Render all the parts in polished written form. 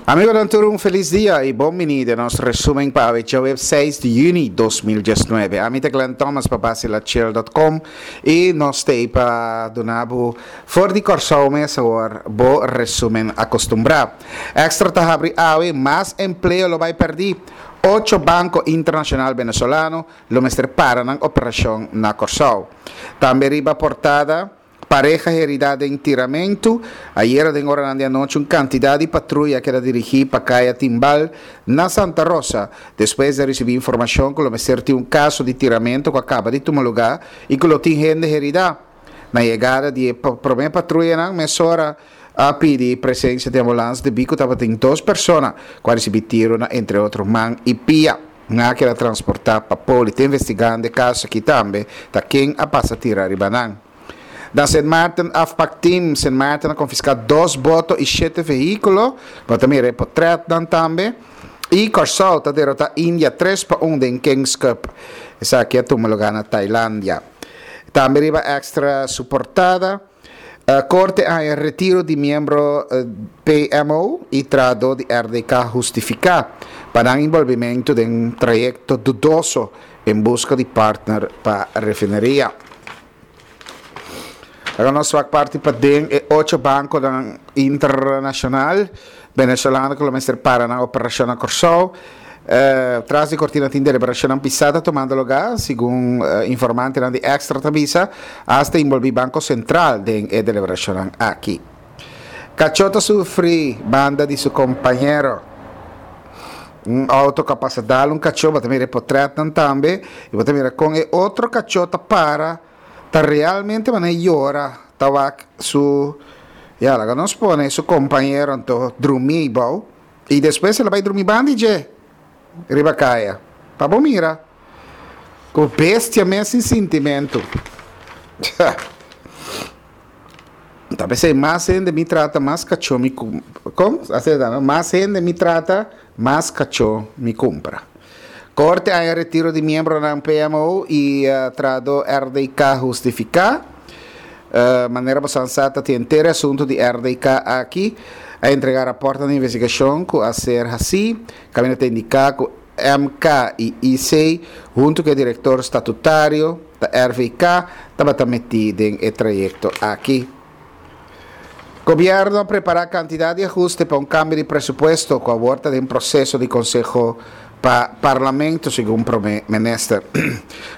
Amigonan tur un felis dia y bon bini den nos resumen pa awe djaweps 6 di juni 2019. Ami ta Glenn Thomas pa basilachel.com y nos t'ey pa duna bo for di Kòrsou mes awor bo resumen acostumbrá. Extra ta habri awe, mas empleo lo bay perdí. Ocho banco internacional Venezolano lo mester para nan operacion na Kòrsou. Tambe riba portada. Pareha heridá den tiramentu. Ayera den oranan di anochi un kantidat di patruya a keda dirigí pa Kaya Timbal na Santa Rosa despues di a risibí informashon ku lo mester tin un kaso di tiramentu ku a kaba di tuma lugá i ku lo tin hende heridá. Na yegada di e promé patruyanan mesora a pidi presensia di ambulans debí ku tabatin dos persona ku a risibí tiru na entre otro man i pia. Nan a keda transportá pa poli. Ta investigando e kaso aki tambe ta ken a pasa tira riba nan. Na Sint Maarten afpak team Sint Maarten a konfiská dos boto i shete vehíkulo. Bo ta mira e potrètnan tambe. I Kòrsou ta derotá India tres pa un den Kings Cup. Esaki a tuma lugá na Tailandia. Tambe riba Extra su portada. Korte a haña retiro di miembro PMO i trahadó di RDK hustifiká pa nan inbolbimentu den trayekto dudoso en buska di partner pa refineria. Laga nos wak parti paden e ocho bankonan internashonal Venezolano ku lo mester para nan operashon na Kòrsou. Tras di kortina tin deliberashonnan pisá ta tumando lugá, segun informantenan di Extra ta bisa. Asta inbolbí Banko Sentral den e deliberashonnan aki. Kachó ta sufri banda di su kompañero. Un outo ku a pasa dal un kachó, bo ta mira e potrètnan tambe i bo ta mira kon e otro kachó ta para. Ta realmente manera yora ta wak su, ya laga nos pone su compañero anto drumi bou y despues el a bay drumi banda di dje riba caya. Pa bo mira cu bestia mes sin sintimento. Ta pesey mas hende mi trata mas cacho mi con? Asina ta no? Mas hende mi trata mas cacho mi cumpra. Corte a haña retiro di miembronan PMO y trahadó RDK hustifica. Manera bo san sa ta tin henter e asunto di RDK aki. A entrega raportnan di investigacion cu a ser haci. Caminda ta indica cu MK y IC hunto cu e director statutario ta RVK tabata meti den e trayecto aki. Gobierno a prepara cantidad di ahuste pa un cambio di presupuesto cu awor ta den proceso di Conseho pa Parlamento, segun Prome Minister.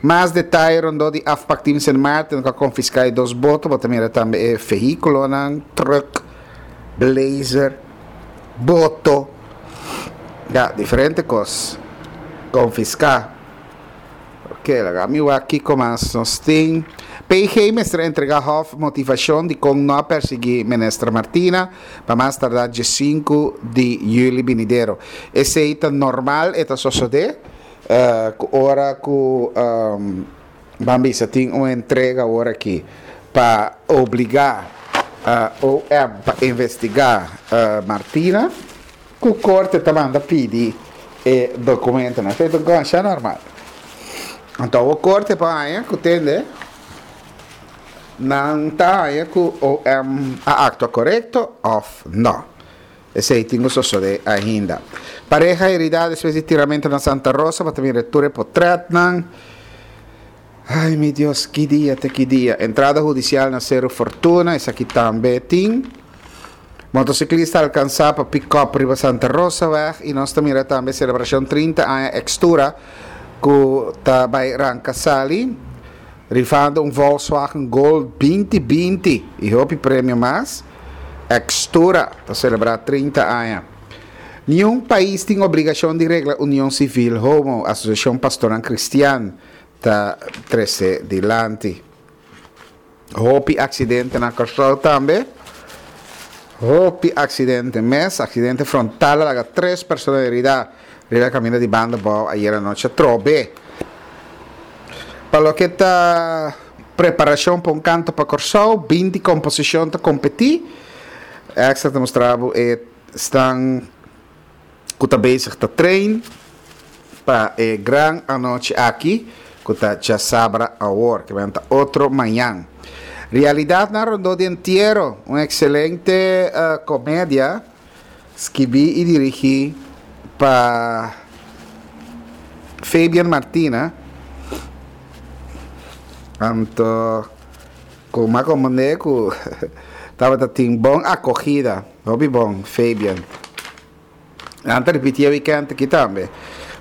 Mas detaye rondó di afpak Team Sint Maarten cu a confisca e dos boto, bo ta mira tambe e vehiculonan, truck, blazer, boto, ya, diferente cos confisca. Ok, laga mi wak kiko mas nos tin. PG mester entrega Hof motivashon dikon no a persiguí Minister Martina pa mas tardá diesinku di yüli binidero. Esei ta normal, e ta sosodé ku ora ku ban bisa tin un entrega awor aki pa obligá OM pa investigá Martina. Ku korte ta manda pidi e dokumentonan. Esei ta un kos normal. Anto awor korte por haña ku tende nan ta haña ku OM a aktua korekto òf no. Esei tin ku sosodé ainda. Pareha heridá despues di tiramento na Santa Rosa, bo ta mira tur e potrètnan. Ai mi Dios, ki dia te ki dia. Entrada hudisial na Seru Fortuna, esaki tambe tin. Motociclista alcansa pa pick-up riba Santa Rosaweg y nos ta mira tambe celebracion 30 aña Extura cu ta bay ranca sali rifando un Volkswagen Gol 2020 y hopi premio mas. Extura ta celebra 30 aña. Niun pais tin obligacion di regla union civil homo, Asociacion Pastornan Cristian ta trece dilanti. Hopi accidente na Kòrsou tambe. Hopi accidente mes. Accidente frontal a laga tres persona herida riba e caminda di banda bou ayer anochi atrobe. Pa loke ta preparacion pa un canto pa Kòrsou, binti composicion ta competi. Extra ta mustra bo e stan ku ta bezig ta train pa e gran anochi aki ku ta djasabra awor, ke men ta otro mañan. Realidatnan rondó di entiero, un ekselente komedia. Skibí i dirigí pa Fabian Martina. Anto ku m'a komprendé ku tabata tin bon akogida. Hopi bon, Fabian. Nan ta ripití e wikènt aki tambe.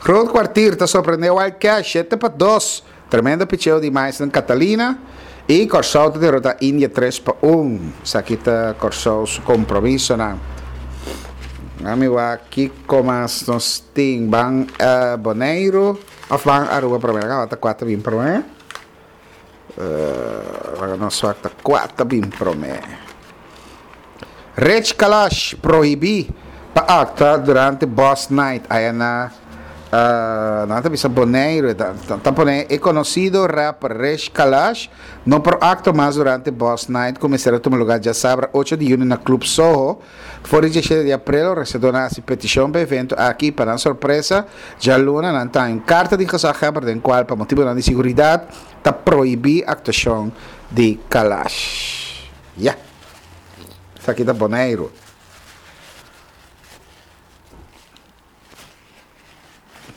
Groot Kwartier ta sorprendé Wild Cash 7-2. Tremendo picheo di Maisden Catalina. I Kòrsou ta derotá India 3-1. Esaki ta Kòrsou su kompromisonan. Ami wak kiko mas nos tin. Ban Boneiru òf ban Aruba promé? Laga wak ta kua ta bin promé. Laga nos wak ta kua ta bin promé. Rich Kalash prohibí pa aktua durante Boss Night aya na nan ta bisa Boneiru. Ta pone e konosido rapper Rich Kalash no por aktua mas durante Boss Night ku mester a tuma lugá djasabra ocho di yüni na Club Soho. For di diesshete di aprel organisadónan a hasi petishon pa e evento aki i pa nan sorpresa djaluna nan ta haña un karta di gezaghebber den kual pa motibunan di siguridat ta prohibí aktuashon di Kalash. Ya. Esaki ta Boneiru.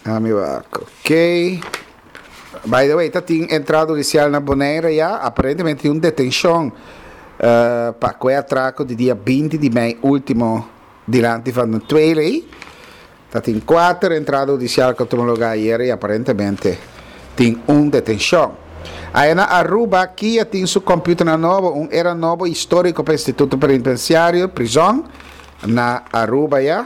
Ami wak. Ok. By the way, ta tin entrada hudicial na Bonaire ya. Aparentemente tin un detencion uh, pa kue atraco di dia 20 di mei ultimo dilanti van de Tweeley. Ta tin kuater entrada hudisial ku a tuma lugá ayer i aparentemente tin un detenshon. Aya na Aruba, kia tin su kòmpiuternan nobo, un era nobo históriko pa Instituto Penitensiario, prizòn, na Aruba ya.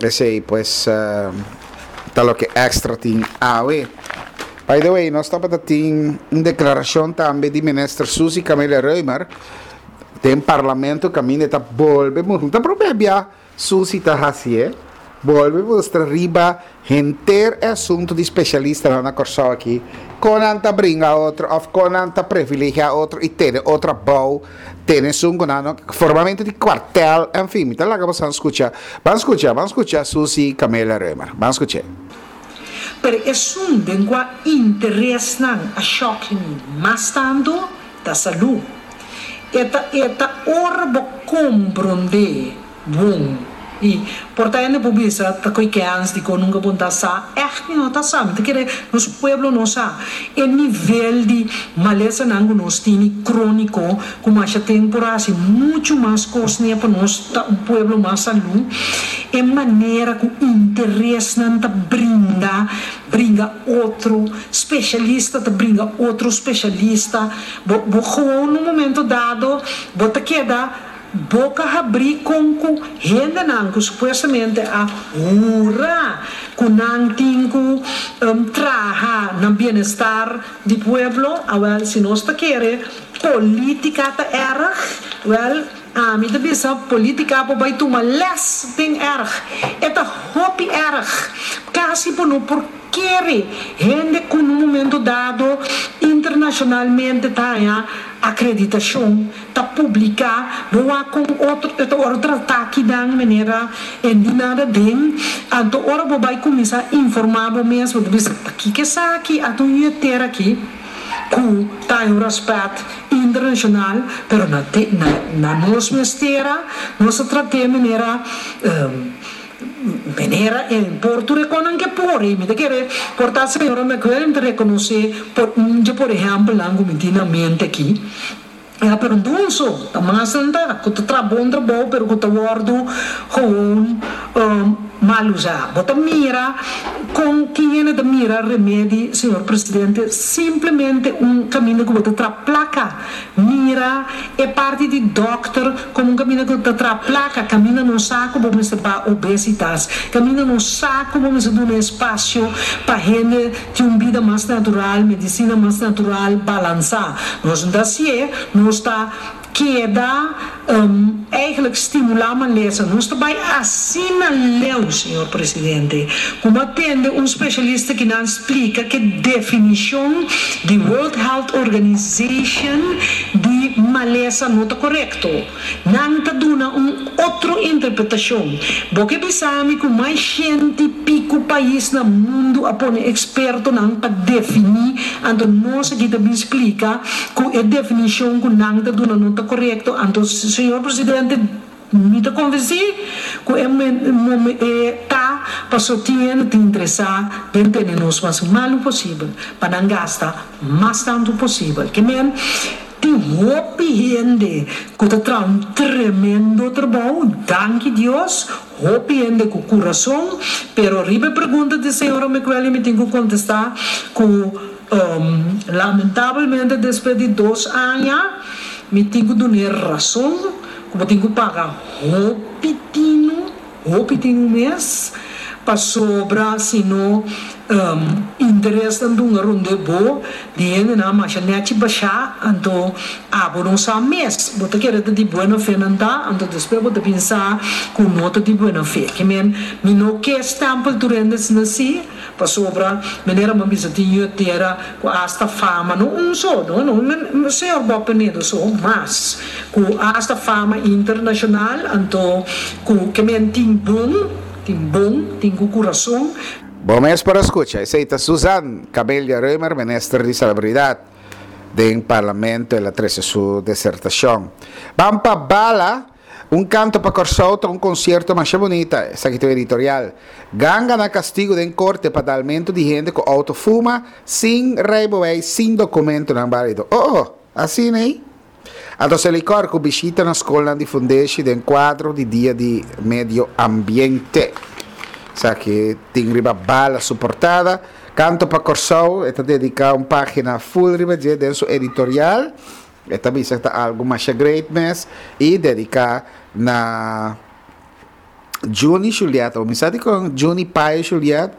Esei pues ta loke Extra tin awe. By the way, nos tabata tin un deklarashon tambe di Minister Suzy Camelia Römer den Parlamento kaminda e ta bolbe mustrá, ta promé bia Susi ta hasié, bolbe mustra riba henter e asuntu di spesialistanan na Kòrsou aki, kon nan ta bringa otro òf kon nan ta privilegiá otro i tene otro abou, tene esun ku nan no, formamentu di kuartel, enfin, mi ta laga boso skucha. Ban skucha, ban skucha Susi Camelia Römer. Ban skuch'é. Pero esun den kua interesnan a shòk mi mas tantu ta salú. E ta e ta ora bo komprondé bon i por ta hende por bisa ta koe kèns dikon nunka bo ta sa. Ègt mi no ta sa. Mi ta kere nos pueblo no sa e nivel di malesanan ku nos tini króniko ku masha ten por hasi muchu mas kos ne pa nos ta un pueblo mas salú. E manera ku interesnan ta brinda bringa otro, spesialista ta bringa otro spesialista. Bo bo gewoon un momento dado bo ta keda boka habrí kon ku hendenan ku supuestamente a hura ku nan tin ku traha na bienestar di pueblo, awel si nos ta kere politica ta erg, wel ami ta bisa politica por bai tuma les den erg, e ta hopi erg, kasi bo no por. Kere hende ku na un momento dado internashonalmente ta haña akreditashon, ta publiká, bo wak kon otro e ta wòrdu tratá kinan manera e ni nada den, anto ora bo bai kuminsá informá bo mes bo ta bisa ta kiko esaki a ta un yetera aki ku ta haña un rèspèt internashonal, pero na na nos mes tera nos ta trat'é manera. Manera e por tur e konan ke por i mi ta kere por ta señora McWilliam ta rekonosé por un dje por ehèmpelnan ku mi tin na mente aki. Ya pero Dunso ta mas nan ta ku ta traha bon trabou pero ku ta wòrdu gewoon mal usá. Bo ta mira kon tin hende ta mira remedi señor presidente simplemente un kaminda ku bo ta traha plaka. Mira e parti di dòkter komo un kaminda ku ta traha plaka, kaminda no sa ku bo mester baha obesitas, kaminda no sa ku bo mester duna espasio pa hende tin un bida mas natural, medisina mas natural, balansá. Nos no ta hasié, nos ta keda eigenlijk stimulá malesa. Nos ta bai asina leu, señor presidente, ku bo a tende un spesialista ki nan splika ke definishon di World Health Organization di malesa no ta korekto. Nan ta duna un otro interpretashon. Bo ke bisa mi ku mas shenti piku pais na mundu a pone ekspertonan pa definí, anto nos aki ta bin splika ku e definishon ku nan ta duna no ta korekto, anto señor presidente. Mi ta konvensí ku e e ta paso tin hende ta interesá den tene nos mas malu posibel pa nan gasta mas tantu posibel. Ke men tin hopi hende ku ta traha un tremendo trabou, danki Dios, hopi hende ku kurason, pero riba e pregunta di señora McWelly mi tin ku kontestá ku lamentabelmente despues di dos aña mi tin ku dun'é rason. Ku bo tin ku paga hopi tinu, hopi tinu mes, pasobra si no interesnan dunga rond'e bo, di hendenan masha nèchi bashá, anto abo no sa mes. Bo ta kere ta di buena fe nan ta, anto despues bo ta bin sa ku no ta di buena fe. Ke men, mi no ke stèmpel tur hende asina si. Pasobra, manera bo a bisa tin yu tera ku asta fama, no un so, no, no señor Bob Penedo so, mas, ku asta fama internashonal, anto ku ke men tin bon, tin bon, tin ku kurason. Bo mes por a skucha, esei ta Suzanne Camelia Römer, minister di Salubridad. Den Parlamento el a trese su desertashon. Ban pa bala! Un Kanto pa Kòrsou ta un konsierto masha bunita, esaki ta un editorial. Ganga na kastigu den korte pa dalmentu di hende ku outo fuma sin reibeweis sin dokumentonan bálido. Oh oh, asina ei? Anto Selikor ku bishita na skolnan di fundeshi den kuadro di Dia di Medio Ambiente. Esaki tin riba bala su portada. Kanto pa Kòrsou e ta dediká un página ful riba dje den su editorial. E ta bisa ta algu masha great mes y dedica na Juni Juliet. O mi sa dicon Juni Payo Juliet.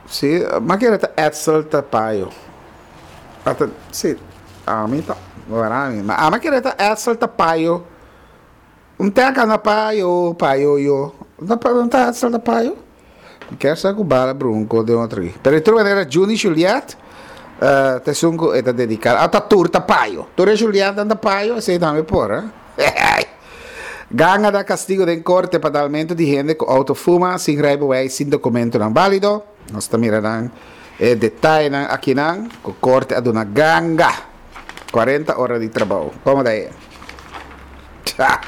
Si, ma kere ta Edsel ta Payo. Ata, si, ami ta, wara mi. Ma ama kere ta Edsel ta Payo. Un teka na payo, payo yo. No ta, no ta Edsel ta payo? Mi kier sa ku bala brunko den otro aki. Pero di tur manera Juni Juliet uh, ta esun ku e ta dediká. Ah, ta tur ta payo. Tur e Julietnan ta payo, esei tambe por, eh? Ganga da kastigo den korte pa dalmentu di hende ku outo fuma sin rijbewijs sin dokumentonan bálido. Nos ta mira nan e detayenan akinan ku korte a duna ganga 40 ora di trabou. Komo ta e? Tja,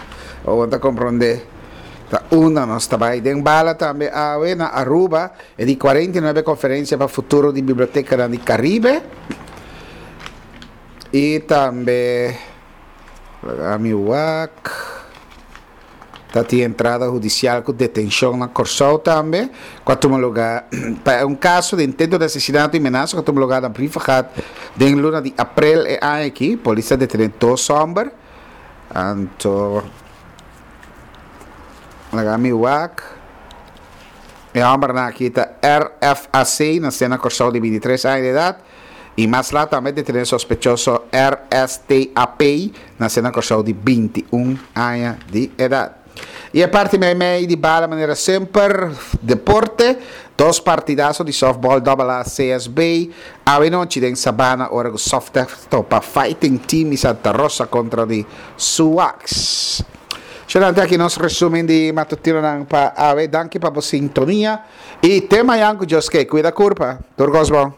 bo ta komprondé. Ta unda nos ta bai. Den bala tambe awe na Aruba e di 49 konferensia pa futuro di bibliotekanan di Karibe. I tambe laga mi wak ta tin entrada hudisial ku detenshon na Kòrsou tambe ku a tuma lugá pa un kaso di intento di asesinato i menasa ku a tuma lugá na Brievengat den luna di aprel e aña aki. Polis a detené dos hòmber. Anto laga mi wak. E hòmbernan aki ta RFAC, nasé na Kòrsou di 23 aña di edat, i mas lat tambe detené sospechoso RSTAP, nasé na Kòrsou di 21 aña di edat. I e parti meimei di bala manera semper, deporte, dos partidaso di softball Double A CSB, awe nochi den Sabana ora ku Softec topa Fighting Team di Santa Rosa kontra di Suwax. Shonante aki nos resumen di matutinonan pa awe. Danki pa bo sintonia i te mayan ku Dios ke. Kuida kurpa. Tur kos bon.